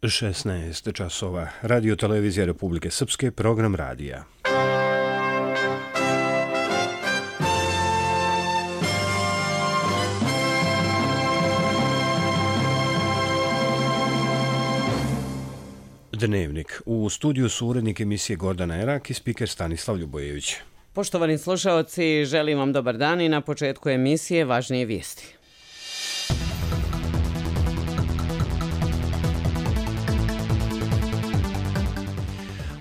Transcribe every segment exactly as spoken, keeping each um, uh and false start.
šesnaest časova. Radio Televizija Republike Srpske, program radija. Dnevnik. U studiju su urednik emisije Gordana Erak i spiker Stanislav Ljubojević. Poštovani slušaoci, želim vam dobar dan i na početku emisije važnije vijesti.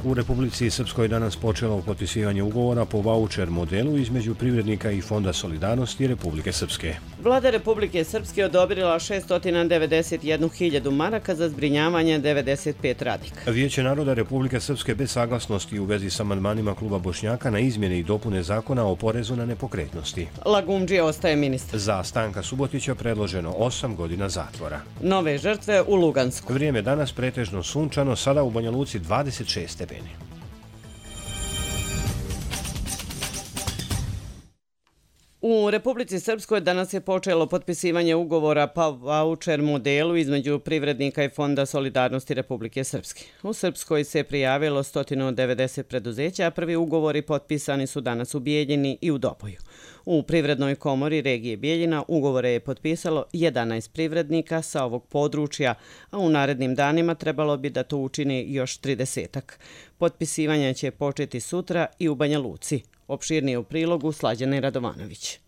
U Republici Srpskoj danas počelo potpisivanje ugovora po vaučer modelu između privrednika i Fonda solidarnosti Republike Srpske. Vlada Republike Srpske odobrila šesto devedeset jednu hiljadu maraka za zbrinjavanje devedeset pet radnika. Vijeće naroda Republike Srpske bez saglasnosti u vezi sa amandmanima kluba Bošnjaka na izmjene i dopune zakona o porezu na nepokretnosti. Lagumdžija ostaje ministar. Za Stanka Subotića predloženo osam godina zatvora. Nove žrtve u Lugansku. Vrijeme danas pretežno sunčano, sada u Banja Luci dvadeset šest stepeni. U Republici Srpskoj danas je počelo potpisivanje ugovora po vaučer modelu između privrednika i Fonda solidarnosti Republike Srpske. U Srpskoj se prijavilo sto devedeset preduzeća, a prvi ugovori potpisani su danas u Bijeljini i u Doboju. U Privrednoj komori regije Bijeljina ugovore je potpisalo jedanaest privrednika sa ovog područja, a u narednim danima trebalo bi da to učini još tridesetak. Potpisivanje će početi sutra i u Banja Luci. Opširnije u prilogu Slađane Radovanović.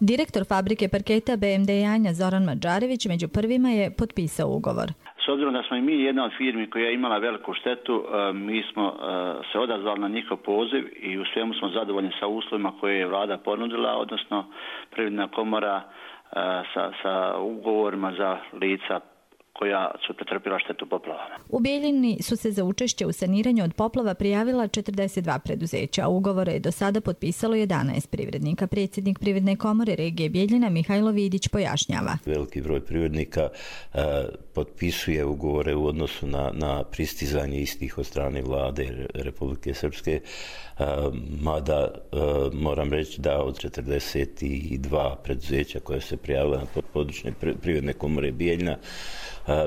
Direktor fabrike parketa B M D Janja Zoran Mađarević među prvima je potpisao ugovor. S obzirom da smo i mi jedna od firmi koja je imala veliku štetu, mi smo se odazvali na njihov poziv i u svemu smo zadovoljni sa uslovima koje je vlada ponudila, odnosno Privredna komora sa, sa ugovorima za lica koja su pretrpila štetu poplavama. U Bijeljini su se za učešće u saniranju od poplava prijavila četrdeset dva preduzeća, a ugovore je do sada potpisalo jedanaest privrednika. Predsjednik Privredne komore regije Bijeljina Mihajlo Vidić pojašnjava. Veliki broj privrednika e, potpisuje ugovore u odnosu na, na pristizanje istih od strane vlade Republike Srpske, e, mada e, moram reći da od četrdeset dva preduzeća koje se prijavila na područne Privredne komore Bijeljina,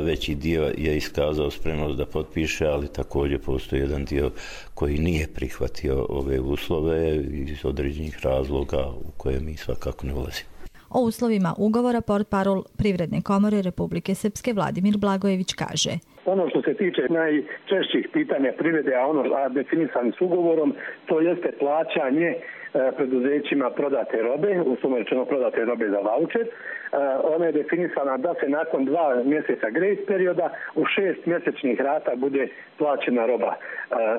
veći dio je iskazao spremnost da potpiše, ali također postoji jedan dio koji nije prihvatio ove uslove iz određenih razloga u koje mi svakako ne ulazimo. O uslovima ugovora portparol Privredne komore Republike Srpske Vladimir Blagojević kaže: Ono što se tiče najčešćih pitanja privrede, a ono a definisani s ugovorom, to jeste plaćanje e, preduzećima prodate robe, uslovno rečeno prodate robe za vaučer. E, ona je definisana da se nakon dva mjeseca grace perioda u šest mjesečnih rata bude plaćena roba e,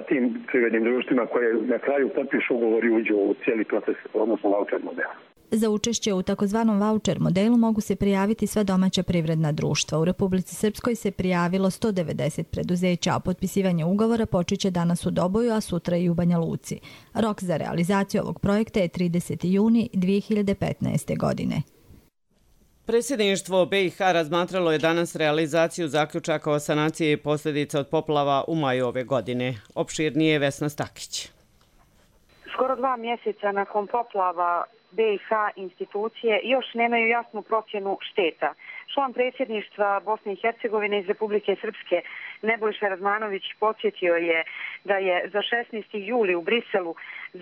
tim privrednim društvima koje na kraju potpišu ugovor i uđu u cijeli proces, odnosno vaučer modela. Za učešće u takozvanom vaučer modelu mogu se prijaviti sva domaća privredna društva. U Republici Srpskoj se prijavilo sto devedeset preduzeća, a potpisivanje ugovora počeće danas u Doboju, a sutra i u Banja Luci. Rok za realizaciju ovog projekta je trideseti juni dvije hiljade petnaeste. godine. Predsjedništvo B i H razmatralo je danas realizaciju zaključaka o sanaciji i posljedica od poplava u maju ove godine. Opširnije Vesna Stakić. Skoro dva mjeseca nakon poplava B i H institucije još nemaju jasnu procjenu šteta. Član predsjedništva Bosne i Hercegovine iz Republike Srpske Nebojša Radmanović podsjetio je da je za šesnaesti juli u Briselu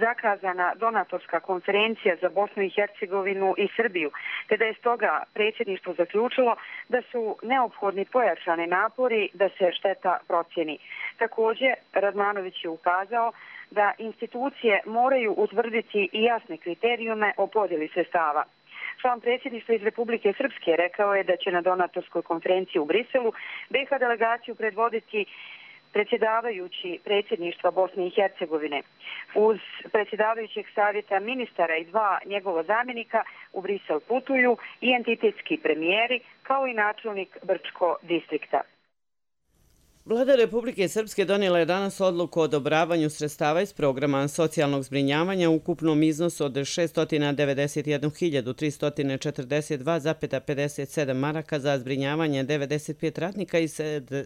zakazana donatorska konferencija za Bosnu i Hercegovinu i Srbiju, te da je stoga predsjedništvo zaključilo da su neophodni pojačani napori da se šteta procjeni. Također, Radmanović je ukazao da institucije moraju utvrditi i jasne kriterijume o podjeli sredstava. Član predsjedništva iz Republike Srpske rekao je da će na donatorskoj konferenciji u Briselu B i H delegaciju predvoditi predsjedavajući predsjedništva Bosne i Hercegovine. Uz predsjedavajućeg savjeta ministara i dva njegova zamjenika u Brisel putuju i entitetski premijeri kao i načelnik Brčko distrikta. Vlada Republike Srpske donijela je danas odluku o odobravanju sredstava iz programa socijalnog zbrinjavanja u ukupnom iznosu od šesto devedeset jednu hiljadu tristo četrdeset dva zarez pedeset sedam maraka za zbrinjavanje devedeset pet radnika i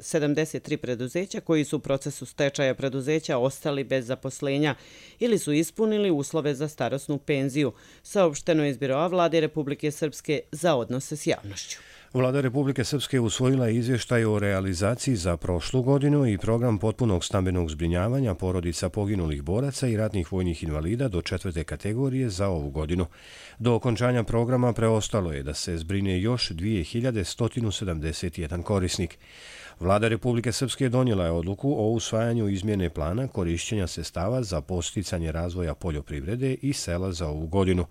sedamdeset tri preduzeća koji su u procesu stečaja preduzeća ostali bez zaposlenja ili su ispunili uslove za starosnu penziju, saopšteno je iz Biroa Vlade Republike Srpske za odnose s javnošću. Vlada Republike Srpske usvojila je izvještaj o realizaciji za prošlu godinu i program potpunog stambenog zbrinjavanja porodica poginulih boraca i ratnih vojnih invalida do četvrte kategorije za ovu godinu. Do okončanja programa preostalo je da se zbrine još dvije hiljade sto sedamdeset jedan korisnik. Vlada Republike Srpske donijela je odluku o usvajanju izmjene plana korišćenja sredstava za podsticanje razvoja poljoprivrede i sela za ovu godinu.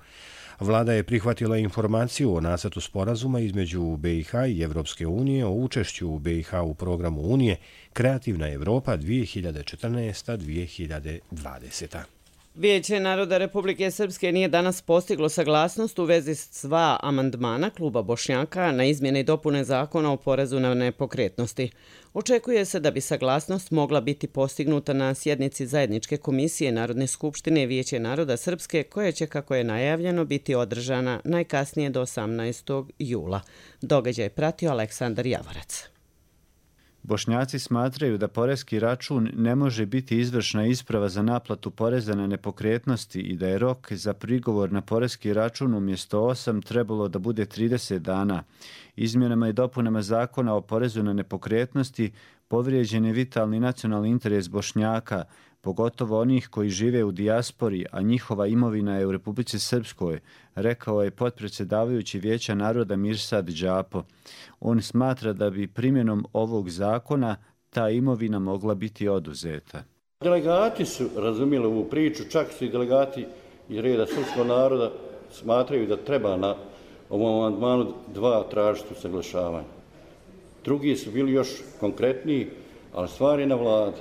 Vlada je prihvatila informaciju o nacrtu sporazuma između B i H i Evropske unije o učešću B i H u programu Unije Kreativna Evropa dvije hiljade četrnaesta do dvije hiljade dvadeseta. Vijeće naroda Republike Srpske nije danas postiglo saglasnost u vezi s dva amandmana Kluba Bošnjaka na izmjene i dopune zakona o porezu na nepokretnosti. Očekuje se da bi saglasnost mogla biti postignuta na sjednici zajedničke komisije Narodne skupštine Vijeće naroda Srpske, koja će, kako je najavljeno, biti održana najkasnije do osamnaestog jula. Događaj pratio Aleksandar Javorac. Bošnjaci smatraju da poreski račun ne može biti izvršna isprava za naplatu poreza na nepokretnosti i da je rok za prigovor na poreski račun umjesto osam trebalo da bude trideset dana. Izmjenama i dopunama zakona o porezu na nepokretnosti povrijeđen je vitalni nacionalni interes Bošnjaka, pogotovo onih koji žive u dijaspori, a njihova imovina je u Republici Srpskoj, rekao je potpredsjedavajući Vijeća naroda Mirsad Džapo. On smatra da bi primjenom ovog zakona ta imovina mogla biti oduzeta. Delegati su razumjeli ovu priču, čak su i delegati iz reda srpskog naroda smatraju da treba na ovom amandmanu dva tražiti usaglašavanja. Drugi su bili još konkretniji, ali stvar je na vladi.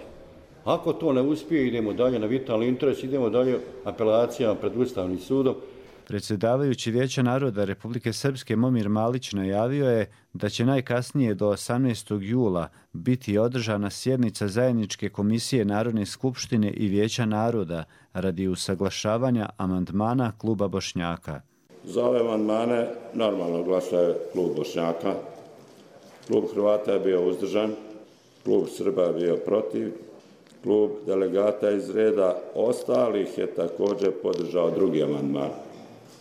Ako to ne uspije, idemo dalje na vitalni interes, idemo dalje apelacijama pred Ustavnim sudom. Predsjedavajući Vijeća naroda Republike Srpske Momir Malić najavio je da će najkasnije do osamnaestog jula biti održana sjednica zajedničke komisije Narodne skupštine i Vijeća naroda radi usaglašavanja amandmana Kluba Bošnjaka. Za ove amandmane normalno glasuje Klub Bošnjaka. Klub Hrvata je bio uzdržan, Klub Srba je bio protiv, Klub delegata iz reda ostalih je također podržao drugi amandman,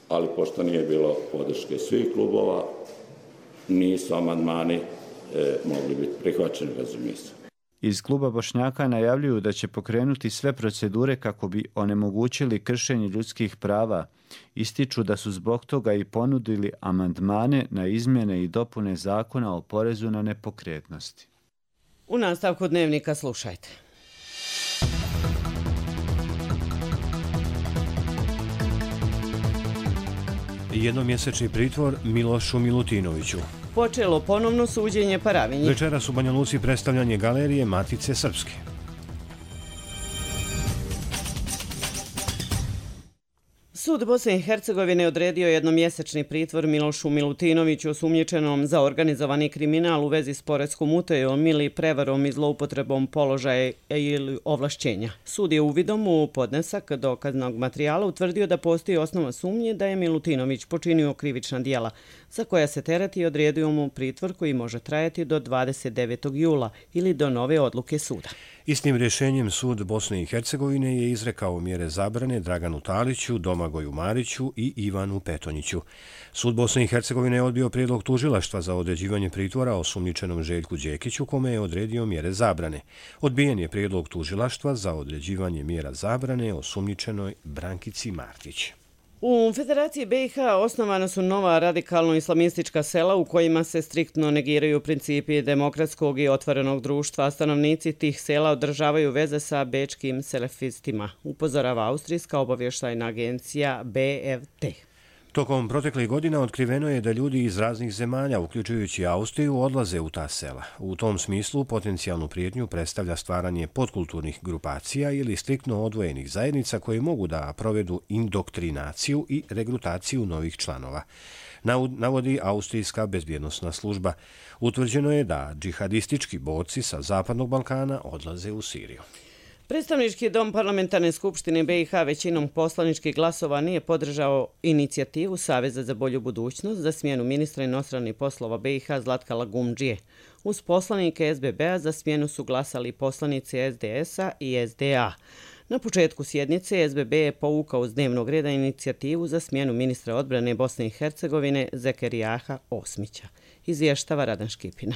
ali pošto nije bilo podrške svih klubova, nisu amandmani e, mogli biti prihvaćeni, razumije se. Iz Kluba Bošnjaka najavljuju da će pokrenuti sve procedure kako bi onemogućili kršenje ljudskih prava. Ističu da su zbog toga i ponudili amandmane na izmjene i dopune zakona o porezu na nepokretnosti. U nastavku dnevnika slušajte. Jednomjesečni pritvor Milošu Milutinoviću. Počelo ponovno suđenje Paravinji. Večeras u Banja Luci predstavljanje galerije Matice Srpske. Sud Bosne i Hercegovine odredio jednomjesečni pritvor Milošu Milutinoviću osumnjičenom za organizovani kriminal u vezi s poreskom utajom ili prevarom i zloupotrebom položaja ili ovlašćenja. Sud je uvidom u podnesak dokaznog materijala utvrdio da postoji osnova sumnje da je Milutinović počinio krivična djela, za koja se tereti i odredio mu pritvor koji može trajati do dvadeset devetog jula ili do nove odluke suda. Istim rješenjem Sud Bosne i Hercegovine je izrekao mjere zabrane Draganu Taliću, Domagoju Mariću i Ivanu Petonjiću. Sud Bosne i Hercegovine je odbio prijedlog tužilaštva za određivanje pritvora osumnjičenom Željku Đekiću, kome je odredio mjere zabrane. Odbijen je prijedlog tužilaštva za određivanje mjera zabrane osumnjičenoj Brankici Martić. U Federaciji B i H osnovana su nova radikalno-islamistička sela u kojima se striktno negiraju principi demokratskog i otvorenog društva, a stanovnici tih sela održavaju veze sa bečkim selefistima, upozorava austrijska obavještajna agencija B F T. Tokom proteklih godina otkriveno je da ljudi iz raznih zemalja, uključujući Austriju, odlaze u ta sela. U tom smislu potencijalnu prijetnju predstavlja stvaranje podkulturnih grupacija ili striktno odvojenih zajednica koje mogu da provedu indoktrinaciju i regrutaciju novih članova. Navodi Austrijska bezbjednosna služba. Utvrđeno je da džihadistički borci sa Zapadnog Balkana odlaze u Siriju. Predstavnički dom Parlamentarne skupštine B i H većinom poslaničkih glasova nije podržao inicijativu Saveza za bolju budućnost za smjenu ministra inostranih poslova B i H Zlatka Lagumdžije. Uz poslanike S B B-a za smjenu su glasali poslanici S D S-a i S D A. Na početku sjednice S B B je povukao s dnevnog reda inicijativu za smjenu ministra odbrane Bosne i Hercegovine Zekerijaha Osmića. Izvještava Radan Škipina.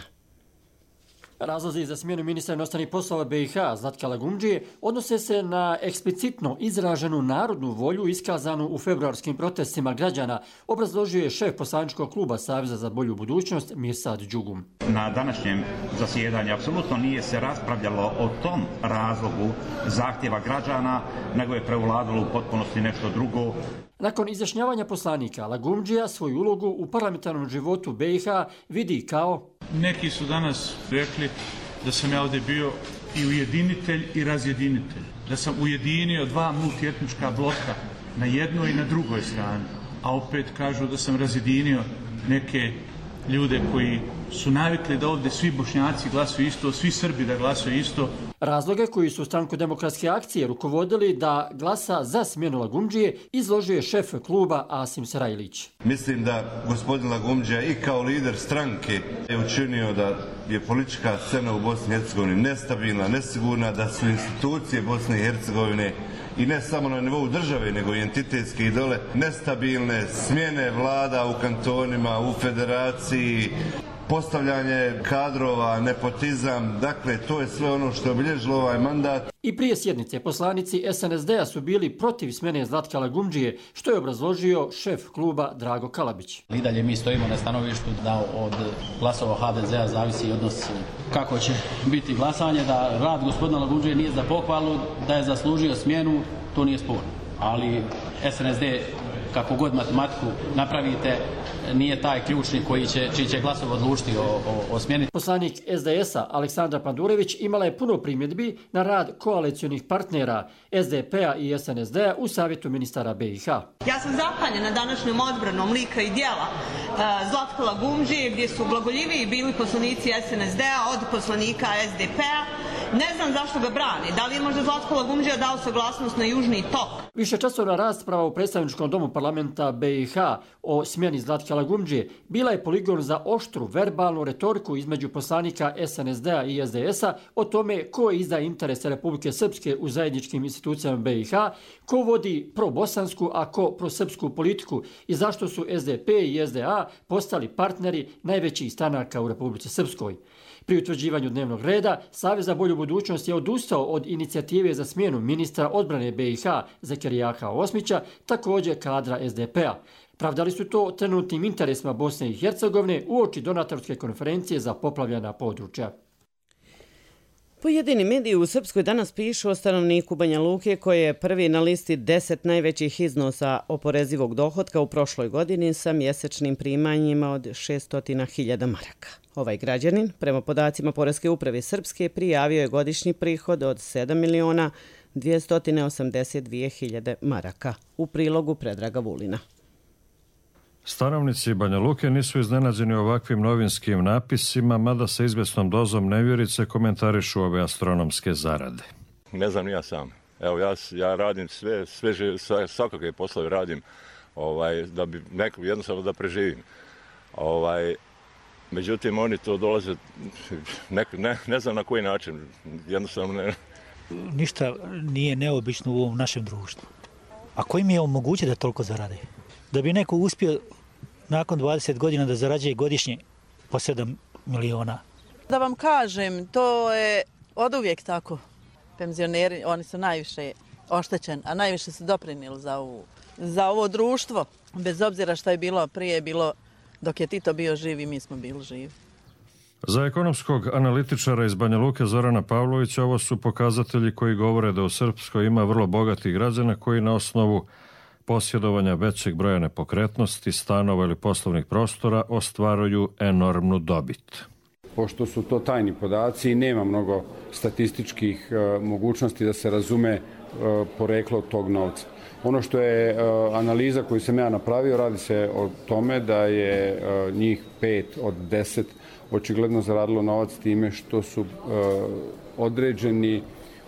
Razlozi za smjenu ministra inostranih poslova B i H Zlatka Lagumdžije odnose se na eksplicitno izraženu narodnu volju iskazanu u februarskim protestima građana, obrazložio je šef poslaničkog kluba Saveza za bolju budućnost Mirsad Đugum. Na današnjem zasjedanju apsolutno nije se raspravljalo o tom razlogu zahtjeva građana, nego je prevladalo u potpunosti nešto drugo. Nakon izjašnjavanja poslanika, Lagumdžija svoju ulogu u parlamentarnom životu B i H vidi kao... Neki su danas rekli da sam ja ovdje bio i ujedinitelj i razjedinitelj. Da sam ujedinio dva multietnička bloka na jednoj i na drugoj strani. A opet kažu da sam razjedinio neke ljude koji su navikli da ovdje svi Bošnjaci glasuju isto, svi Srbi da glasuju isto. Razloge koji su stranku Demokratske akcije rukovodili da glasa za smjenu Lagumdžije izložio je šef kluba Asim Sarajlić. Mislim da gospodin Lagumdžija i kao lider stranke je učinio da je politička scena u Bosni i Hercegovini nestabilna, nesigurna, da su institucije Bosne i Hercegovine i ne samo na nivou države, nego i entitetske i dole nestabilne, smjene vlada u kantonima, u federaciji, postavljanje kadrova, nepotizam, dakle to je sve ono što je obilježilo ovaj mandat. I prije sjednice poslanici S N S D-a su bili protiv smjene Zlatka Lagumdžije, što je obrazložio šef kluba Drago Kalabić. I dalje mi stojimo na stanovištu da od glasova H D Z-a zavisi odnos kako će biti glasanje, da rad gospodina Lagumdžije nije za pohvalu, da je zaslužio smjenu, to nije sporno. Ali S N S D, kako god matematiku napravite, nije taj ključni koji će, čiji će glasov odlučiti o, o, o smjeni. Poslanik S D S-a Aleksandra Pandurević imala je puno primjedbi na rad koalicionih partnera S D P-a i S N S D-a u savjetu ministara B i H. Ja sam zapanjena današnjom odbranom lika i djela uh, Zlatka Lagumdžije, gdje su blagoljiviji bili poslanici S N S D-a od poslanika S D P-a. Ne znam zašto ga brani. Da li je možda Zlatko Lagumdžija dao saglasnost na Južni tok? Višečasovna rasprava u predstavničkom domu parlamenta B i H o smjeni Zlatka Lagumdžije bila je poligon za oštru verbalnu retoriku između poslanika S N S D-a i S D S-a o tome ko izdaje interese Republike Srpske u zajedničkim institucijama B i H, ko vodi probosansku, a ko prosrpsku politiku i zašto su S D P i S D A postali partneri najvećih stranaka u Republici Srpskoj. Pri utvrđivanju dnevnog reda, Savez za bolju budućnost je odustao od inicijative za smjenu ministra odbrane B i H Zekerijaha Osmića, također kadra S D P-a. Pravdali su to trenutnim interesima Bosne i Hercegovine uoči donatorske konferencije za poplavljena područja. Pojedini mediji u Srpskoj danas pišu o stanovniku Banja Luke koji je prvi na listi deset najvećih iznosa oporezivog dohotka u prošloj godini sa mjesečnim primanjima od šesto hiljada maraka. Ovaj građanin, prema podacima Poreske uprave Srpske, prijavio je godišnji prihod od sedam miliona dvjesto osamdeset dvije hiljade maraka. U prilogu Predraga Vulina. Stanovnici Banja Luke nisu iznenađeni ovakvim novinskim napisima, mada sa izvjesnom dozom nevjerice komentarišu ove astronomske zarade. Ne znam ja sam. Evo ja, ja radim sve, sve svakakve poslove radim ovaj, da bi neko jednostavno da preživim. Ovaj, međutim, oni to dolaze, ne, ne, ne znam na koji način, jednostavno ne. Ništa nije neobično u ovom našem društvu. A koji mi je omogućio da toliko zarade? Da bi neko uspio nakon dvadeset godina da zarađuje godišnje po sedam miliona. Da vam kažem, to je od uvijek tako. Penzioneri, oni su najviše oštećeni, a najviše su doprinijeli za, ovu, za ovo društvo. Bez obzira što je bilo prije, bilo dok je Tito bio živ i mi smo bili živi. Za ekonomskog analitičara iz Banja Luke Zorana Pavlovića ovo su pokazatelji koji govore da u Srpskoj ima vrlo bogatih građana koji na osnovu posjedovanja većeg broja nepokretnosti, stanova ili poslovnih prostora ostvaruju enormnu dobit. Pošto su to tajni podaci i nema mnogo statističkih e, mogućnosti da se razume e, poreklo tog novca. Ono što je e, analiza koju sam ja napravio, radi se o tome da je e, njih pet od deset očigledno zaradilo novac time što su e, određeni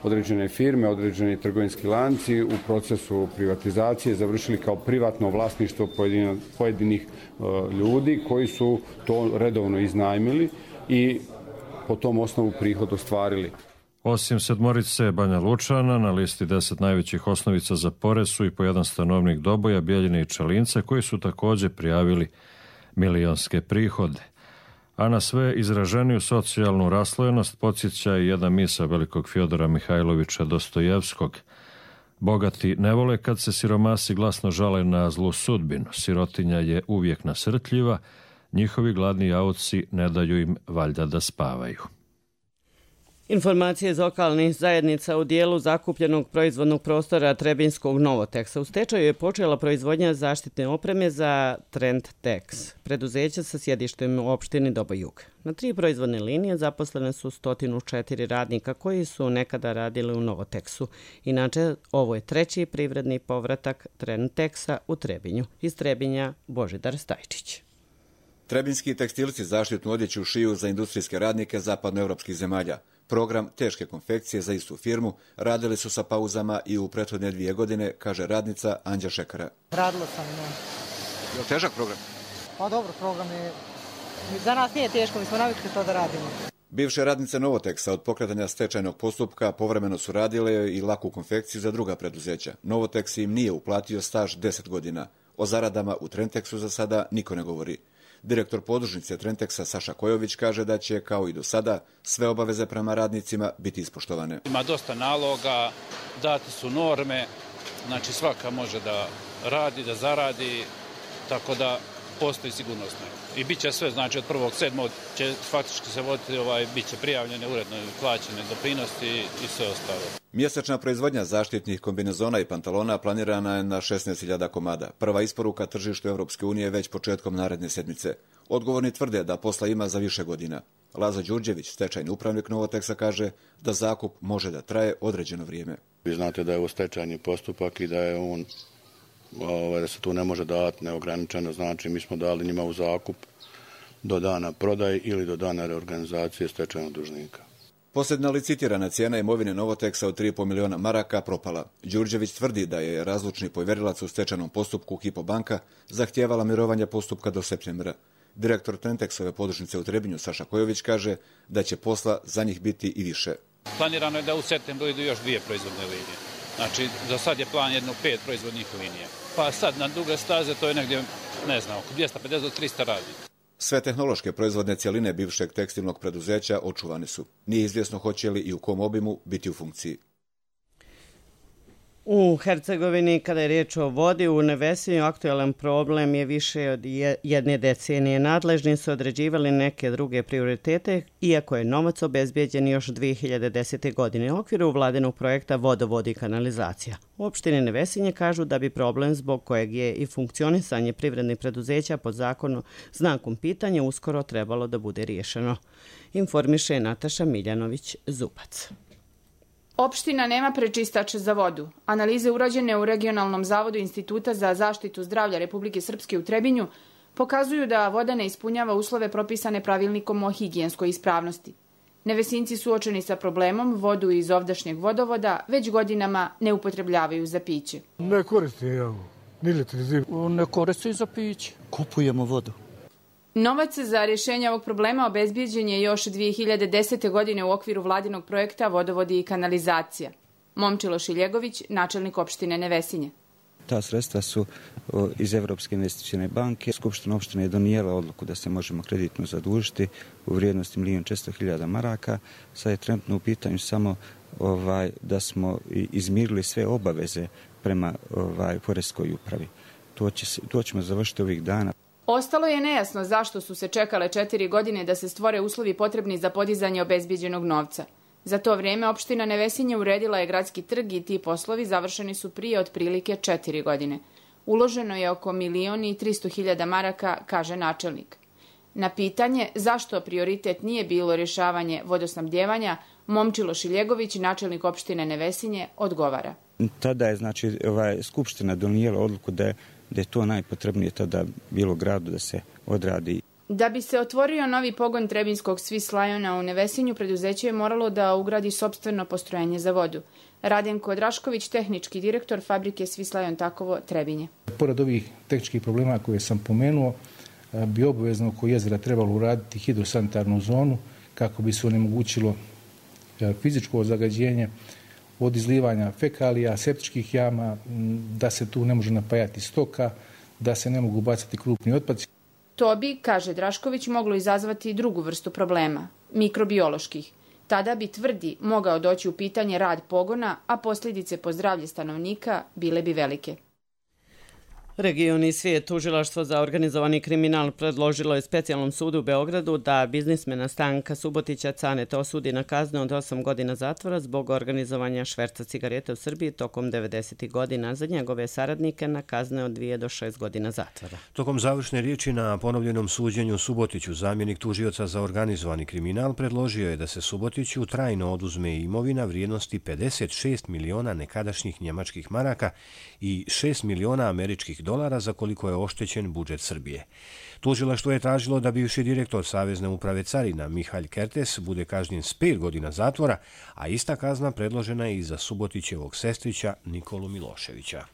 određene firme, određeni trgovinski lanci u procesu privatizacije završili kao privatno vlasništvo pojedina, pojedinih uh, ljudi koji su to redovno iznajmili i po tom osnovu prihod ostvarili. Osim sedmorice Banja Lučana, na listi deset najvećih osnovica za porez su i po jedan stanovnik Doboja, Bjeljine i Čelinca, koji su također prijavili milionske prihode. A na sve izraženiju socijalnu raslojenost podsjeća i jedna misa velikog Fjodora Mihajlovića Dostojevskog. Bogati ne vole kad se siromasi glasno žale na zlu sudbinu. Sirotinja je uvijek nasrtljiva, njihovi gladni jaoci ne daju im valjda da spavaju. Informacije iz lokalnih zajednica u dijelu zakupljenog proizvodnog prostora Trebinskog Novoteksa. U stečaju je počela proizvodnja zaštitne opreme za Trendtex, preduzeća sa sjedištem u opštini Doboj-Jug. Na tri proizvodne linije zaposlene su sto četiri radnika koji su nekada radili u Novoteksu. Inače, ovo je treći privredni povratak Trendtexa u Trebinju. Iz Trebinja Božidar Stajčić. Trebinski tekstilci zaštitnu odjeću šiju za industrijske radnike zapadnoevropskih zemalja. Program teške konfekcije za istu firmu radili su sa pauzama i u prethodne dvije godine, kaže radnica Anđa Šekara. Radila sam, ne. Je li težak program? Pa dobro, program je... Za nas nije teško, mi smo navikli to da radimo. Bivše radnice Novoteksa od pokretanja stečajnog postupka povremeno su radile i laku konfekciju za druga preduzeća. Novoteks im nije uplatio staž deset godina. O zaradama u Trendtexu za sada niko ne govori. Direktor podružnice Trendtexa Saša Kojović kaže da će, kao i do sada, sve obaveze prema radnicima biti ispoštovane. Ima dosta naloga, date su norme, znači svaka može da radi, da zaradi, tako da postoji sigurnosno. I bit će sve, znači od prvog sedmog će faktički se voditi, ovaj, bit će prijavljene uredno plaćene doprinosti i sve ostalo. Mjesečna proizvodnja zaštitnih kombinezona i pantalona planirana je na šesnaest hiljada komada. Prva isporuka tržištu Europske unije već početkom naredne sedmice. Odgovorni tvrde da posla ima za više godina. Lazo Đurđević, stečajni upravnik Novoteksa, kaže da zakup može da traje određeno vrijeme. Vi znate da je ovo stečajni postupak i da je on da se tu ne može dati neograničeno, znači mi smo dali njima u zakup do dana prodaje ili do dana reorganizacije stečajnog dužnika. Posljedna licitirana cijena imovine Novoteksa od tri i pol miliona maraka propala. Đurđević tvrdi da je razlučni povjerilac u stečajnom postupku Hypo banka zahtijevala mirovanje postupka do septembra. Direktor Trendtexove podružnice u Trebinju Saša Kojović kaže da će posla za njih biti i više. Planirano je da u septembru idu još dvije proizvodne linije. Znači, za sad je plan jedno pet proizvodnih linija. Pa sad na duge staze to je negdje, ne znam, oko dvjesto pedeset do tristo radnika. Sve tehnološke proizvodne cjeline bivšeg tekstilnog preduzeća očuvane su. Nije izvjesno hoće li i u kom obimu biti u funkciji. U Hercegovini, kada je riječ o vodi, u Nevesinju aktualan problem je više od jedne decenije. Nadležni su određivali neke druge prioritete, iako je novac obezbijeđen još dvije hiljade desete. godine u okviru vladinog projekta Vodovod i kanalizacija. U opštini Nevesinje kažu da bi problem zbog kojeg je i funkcionisanje privrednih preduzeća pod zakonom znakom pitanja uskoro trebalo da bude riješeno. Informiše Nataša Miljanović-Zupac. Opština nema prečistač za vodu. Analize urađene u Regionalnom zavodu Instituta za zaštitu zdravlja Republike Srpske u Trebinju pokazuju da voda ne ispunjava uslove propisane pravilnikom o higijenskoj ispravnosti. Nevesinci suočeni sa problemom vodu iz ovdašnjeg vodovoda već godinama ne upotrebljavaju za piće. Ne koristim ja, ni litri zimu. Ne koristim za piće. Kupujemo vodu. Novac za rješenje ovog problema obezbijeđen je još dvije hiljade desete. godine u okviru vladinog projekta Vodovodi i kanalizacija. Momčilo Šiljegović, načelnik opštine Nevesinje. Ta sredstva su iz Evropske investicijne banke. Skupština opštine je donijela odluku da se možemo kreditno zadužiti u vrijednosti milijon četiristo hiljada maraka. Sad je trenutno u pitanju samo ovaj, da smo izmirili sve obaveze prema ovaj, poreskoj upravi. To, će, to ćemo završiti ovih dana. Ostalo je nejasno zašto su se čekale četiri godine da se stvore uslovi potrebni za podizanje obezbijeđenog novca. Za to vrijeme opština Nevesinje uredila je gradski trg i ti poslovi završeni su prije otprilike četiri godine. Uloženo je oko milijon i tristo hiljada maraka, kaže načelnik. Na pitanje zašto prioritet nije bilo rješavanje vodosnabdjevanja, Momčilo Šiljegović, načelnik opštine Nevesinje, odgovara. Tada je znači ovaj, Skupština donijela odluku da je da je to najpotrebnije tada bilo gradu da se odradi. Da bi se otvorio novi pogon Trebinskog Swiss Liona u Nevesinju, preduzeće je moralo da ugradi sopstveno postrojenje za vodu. Radenko Drašković, tehnički direktor fabrike Swiss Lion Takovo, Trebinje. Pored ovih tehničkih problema koje sam pomenuo, bi obavezno oko jezera trebalo uraditi hidrosanitarnu zonu kako bi se onemogućilo fizičko zagađenje od izlivanja fekalija, septičkih jama, da se tu ne može napajati stoka, da se ne mogu bacati krupni otpaci. To bi, kaže Drašković, moglo izazvati drugu vrstu problema, mikrobioloških. Tada bi, tvrdi, mogao doći u pitanje rad pogona, a posljedice po zdravlje stanovnika bile bi velike. Regioni svijet tužilaštvo za organizovani kriminal predložilo je specijalnom sudu u Beogradu da biznismena Stanka Subotića Caneta osudi na kaznu od osam godina zatvora zbog organizovanja šverca cigarete u Srbiji tokom devedesetih godina, za njegove saradnike na kazne od dvije do šest godina zatvora. Tokom završne riječi na ponovljenom suđenju Subotiću, zamjenik tužioca za organizovani kriminal predložio je da se Subotiću trajno oduzme imovina vrijednosti pedeset šest miliona nekadašnjih njemačkih maraka i šest miliona američkih dolara za koliko je oštećen budžet Srbije. Tužilaštvo je tražilo da bivši direktor Savezne uprave carina Mihalj Kertes bude kažnjen s pet godina zatvora, a ista kazna predložena je i za Subotićevog sestrića Nikolu Miloševića.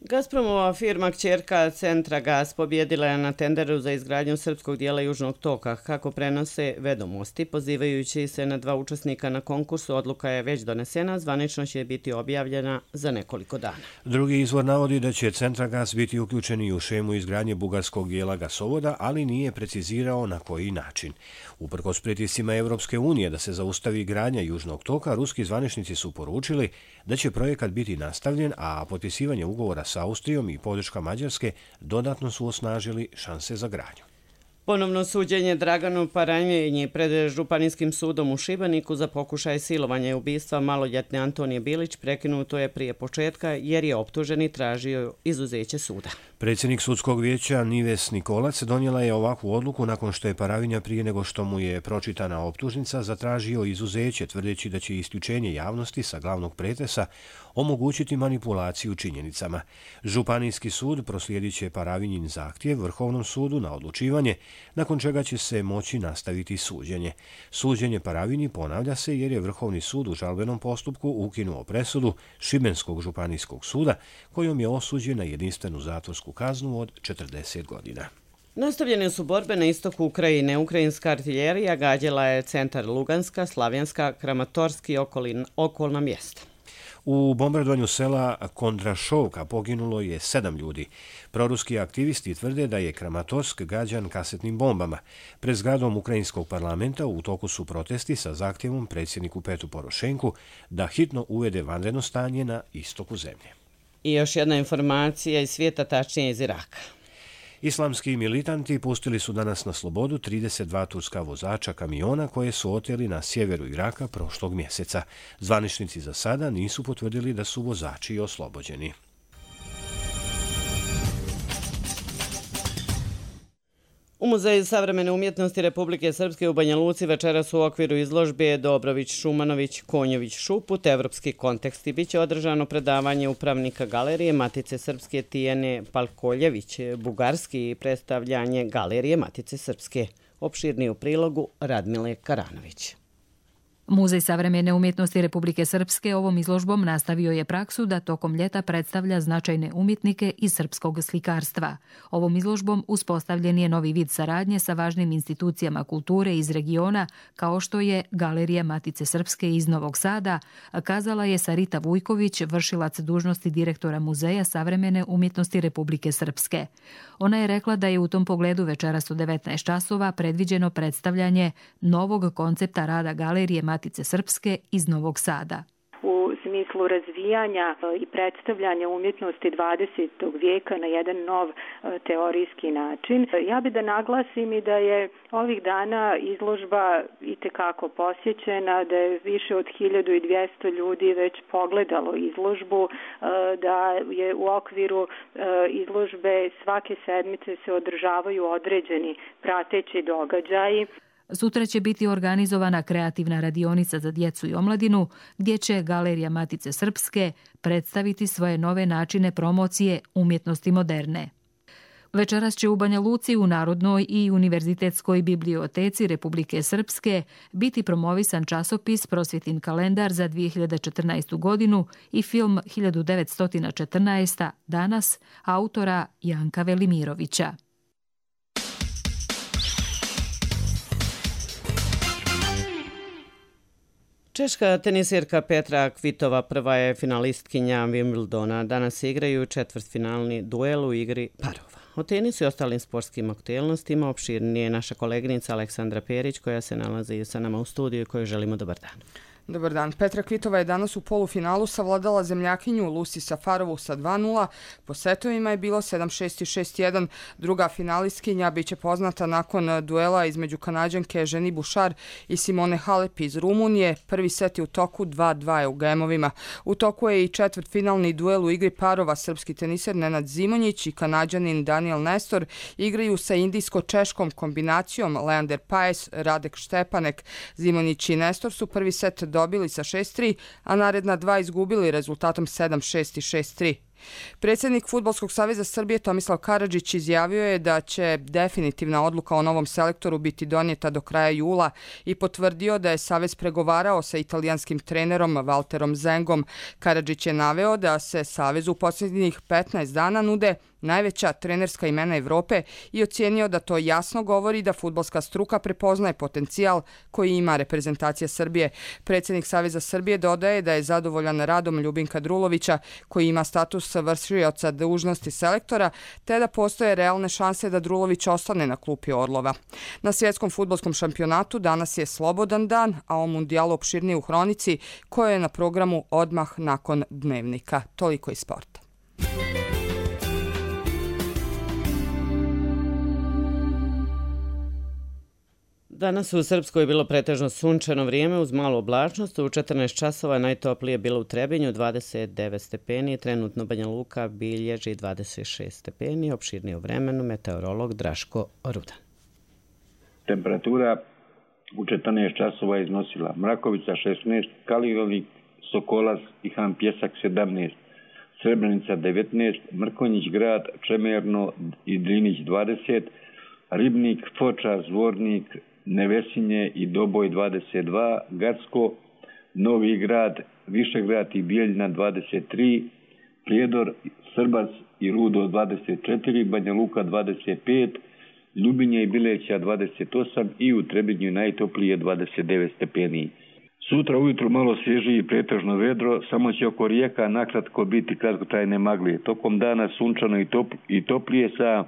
Gazpromova firma kćerka Centragas pobjedila je na tenderu za izgradnju srpskog dijela Južnog toka. Kako prenose Vedomosti, pozivajući se na dva učesnika na konkursu, odluka je već donesena, zvanično će biti objavljena za nekoliko dana. Drugi izvor navodi da će Centragas biti uključeni u šemu izgradnje bugarskog dijela gasovoda, ali nije precizirao na koji način. Uprkos pritiscima Evropske unije da se zaustavi gradnja Južnog toka, ruski zvaničnici su poručili da će projekat biti nastavljen, a potpisivanje ugovora s Austrijom i podrška Mađarske dodatno su osnažili šanse za gradnju. Ponovno suđenje Draganu Paranjenji pred Županijskim sudom u Šibeniku za pokušaj silovanja i ubistva maloljetne Antonije Bilić prekinuto je prije početka jer je optuženi tražio izuzeće suda. Predsjednik sudskog vijeća Nives Nikolac donijela je ovakvu odluku nakon što je Paravinja prije nego što mu je pročitana optužnica zatražio izuzeće, tvrdeći da će isključenje javnosti sa glavnog pretresa omogućiti manipulaciju činjenicama. Županijski sud proslijedit će Paravinjin zahtjev Vrhovnom sudu na odlučivanje, nakon čega će se moći nastaviti suđenje. Suđenje Paravinji ponavlja se jer je Vrhovni sud u žalbenom postupku ukinuo presudu Šibenskog županijskog suda kojom je osuđen na jedinstvenu zatvorsku kaznu od četrdeset godina. Nastavljene su borbe na istoku Ukrajine. Ukrajinska artiljerija gađala je centar Luganska, Slavjanska, Kramatorski i okolna mjesta. U bombardovanju sela Kondrašovka poginulo je sedam ljudi. Proruski aktivisti tvrde da je Kramatorsk gađan kasetnim bombama. Pred zgradom Ukrajinskog parlamenta u toku su protesti sa zahtjevom predsjedniku Petru Porošenku da hitno uvede vanredno stanje na istoku zemlje. I još jedna informacija iz svijeta, tačnije iz Iraka. Islamski militanti pustili su danas na slobodu trideset dva turska vozača kamiona koje su oteli na sjeveru Iraka prošlog mjeseca. Zvaničnici za sada nisu potvrdili da su vozači oslobođeni. U Muzeju savremene umjetnosti Republike Srpske u Banja Luci večeras u okviru izložbe Dobrović, Šumanović, Konjović, Šuput, Evropski konteksti biće održano predavanje upravnika galerije Matice Srpske Tijene Palkoljević, bugarski i predstavljanje galerije Matice Srpske. Opširniji u prilogu Radmile Karanović. Muzej savremene umjetnosti Republike Srpske ovom izložbom nastavio je praksu da tokom ljeta predstavlja značajne umjetnike iz srpskog slikarstva. Ovom izložbom uspostavljen je novi vid saradnje sa važnim institucijama kulture iz regiona, kao što je Galerija Matice Srpske iz Novog Sada, kazala je Sarita Vujković, vršilac dužnosti direktora Muzeja savremene umjetnosti Republike Srpske. Ona je rekla da je u tom pogledu večeras u devetnaest časova predviđeno predstavljanje novog koncepta rada Galerije Matice Srpske iz Novog Sada. U smislu razvijanja i predstavljanja umjetnosti dvadesetog vijeka na jedan nov teorijski način. Ja bi da naglasim i da je ovih dana izložba itekako posjećena, da je više od hiljadu dvjesto ljudi već pogledalo izložbu, da je u okviru izložbe svake sedmice se održavaju određeni prateći događaji. Sutra će biti organizovana kreativna radionica za djecu i omladinu, gdje će Galerija Matice Srpske predstaviti svoje nove načine promocije umjetnosti moderne. Večeras će u Banja Luci u Narodnoj i Univerzitetskoj biblioteci Republike Srpske biti promovisan časopis Prosvjetin kalendar za dvije hiljade četrnaestu godinu i film hiljadu devetsto četrnaesta danas autora Janka Velimirovića. Češka tenisirka Petra Kvitova prva je finalistkinja Wimbledona. Danas igraju četvrtfinalni duel u igri parova. O tenisu i ostalim sportskim aktuelnostima opširnije je naša koleginica Aleksandra Perić koja se nalazi sa nama u studiju i kojoj želimo dobar dan. Dobar dan. Petra Kvitova je danas u polufinalu savladala zemljakinju Lucy Safarovu sa dva nula. Po setovima je bilo sedam šest i šest jedan. Druga finalistkinja biće poznata nakon duela između Kanađanke Ženi Bušar i Simone Halep iz Rumunije. Prvi set je u toku, dva dva je u gemovima. U toku je i četvrtfinalni duel u igri parova. Srpski teniser Nenad Zimonjić i Kanađanin Daniel Nestor igraju sa indijsko-češkom kombinacijom Leander Paes, Radek Štepanek. Zimonjić i Nestor su prvi set dobili sa šest tri, a naredna dva izgubili rezultatom sedam šest i šest tri. Predsjednik Fudbalskog saveza Srbije Tomislav Karadžić izjavio je da će definitivna odluka o novom selektoru biti donijeta do kraja jula i potvrdio da je savez pregovarao sa italijanskim trenerom Valterom Zengom. Karadžić je naveo da se savezu u posljednjih petnaest dana nude najveća trenerska imena Evrope i ocijenio da to jasno govori da fudbalska struka prepoznaje potencijal koji ima reprezentacija Srbije. Predsjednik Saveza Srbije dodaje da je zadovoljan radom Ljubinka Drulovića koji ima status vršioca dužnosti selektora, te da postoje realne šanse da Drulović ostane na klupi Orlova. Na svjetskom fudbalskom šampionatu danas je slobodan dan, a o mundijalu opširnije u hronici koja je na programu odmah nakon dnevnika. Toliko iz sporta. Danas u Srpskoj je bilo pretežno sunčano vrijeme uz malu oblačnost. U četrnaest časova najtoplije bilo u Trebinju, dvadeset devet stepeni. Trenutno Banja Luka bilježi dvadeset šest stepeni. Opširnije o vremenu meteorolog Draško Rudan. Temperatura u četrnaest časova je iznosila Mrakovica šesnaest, Kaligovik, Sokolac i Han Pjesak sedamnaest, Srebrenica devetnaest, Mrkonjić grad, Čemerno i Drinić dvadeset, Ribnik, Foča, Zvornik, Nevesinje i Doboj dvadeset dva, Gacko, Novi grad, Višegrad i Bijeljina dvadeset tri, Prijedor, Srbac i Rudo dvadeset četiri, Banja Luka dvadeset pet, Ljubinje i Bileća dvadeset osam i u Trebinju najtoplije dvadeset devet stepeni. Sutra ujutru malo svježije i pretežno vedro, samo će oko rijeka nakratko biti kratkotrajne magle. Tokom dana sunčano i, topl i toplije sa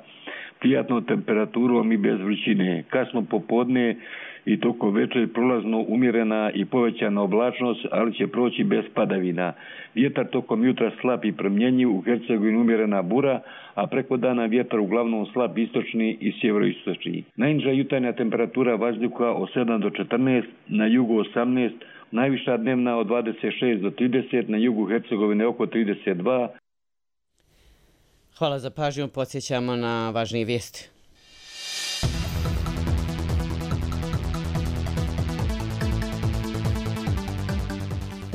prijatnom temperaturom i bez vrućine. Kasno popodne i tokom večeri prolazno umjerena i povećana oblačnost, ali će proći bez padavina. Vjetar tokom jutra slab i promjenjiv, u Hercegovini umjerena bura, a preko dana vjetar uglavnom slab istočni i sjeveroistočni. Najniža jutarnja temperatura vazduha od sedam do četrnaest, na jugu osamnaest, najviša dnevna od dvadeset šest do trideset, na jugu Hercegovine oko trideset dva. Hvala za pažnju, podsjećamo na važnije vijesti.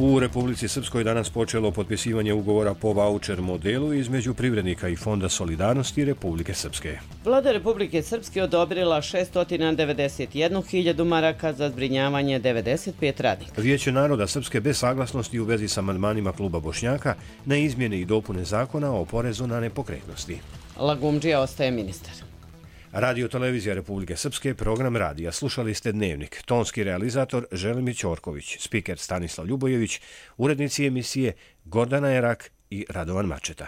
U Republici Srpskoj danas počelo potpisivanje ugovora po vaučer modelu između privrednika i Fonda solidarnosti Republike Srpske. Vlada Republike Srpske odobrila šesto devedeset jednu hiljadu maraka za zbrinjavanje devedeset pet radnika. Vijeće naroda Srpske bez saglasnosti u vezi sa amandmanima kluba Bošnjaka na izmjene i dopune zakona o porezu na nepokretnosti. Lagumdžija ostaje ministar. Radio Televizija Republike Srpske, program radija. Slušali ste Dnevnik. Tonski realizator Želimir Ćorković, spiker Stanislav Ljubojević, urednici emisije Gordana Erak i Radovan Mačeta.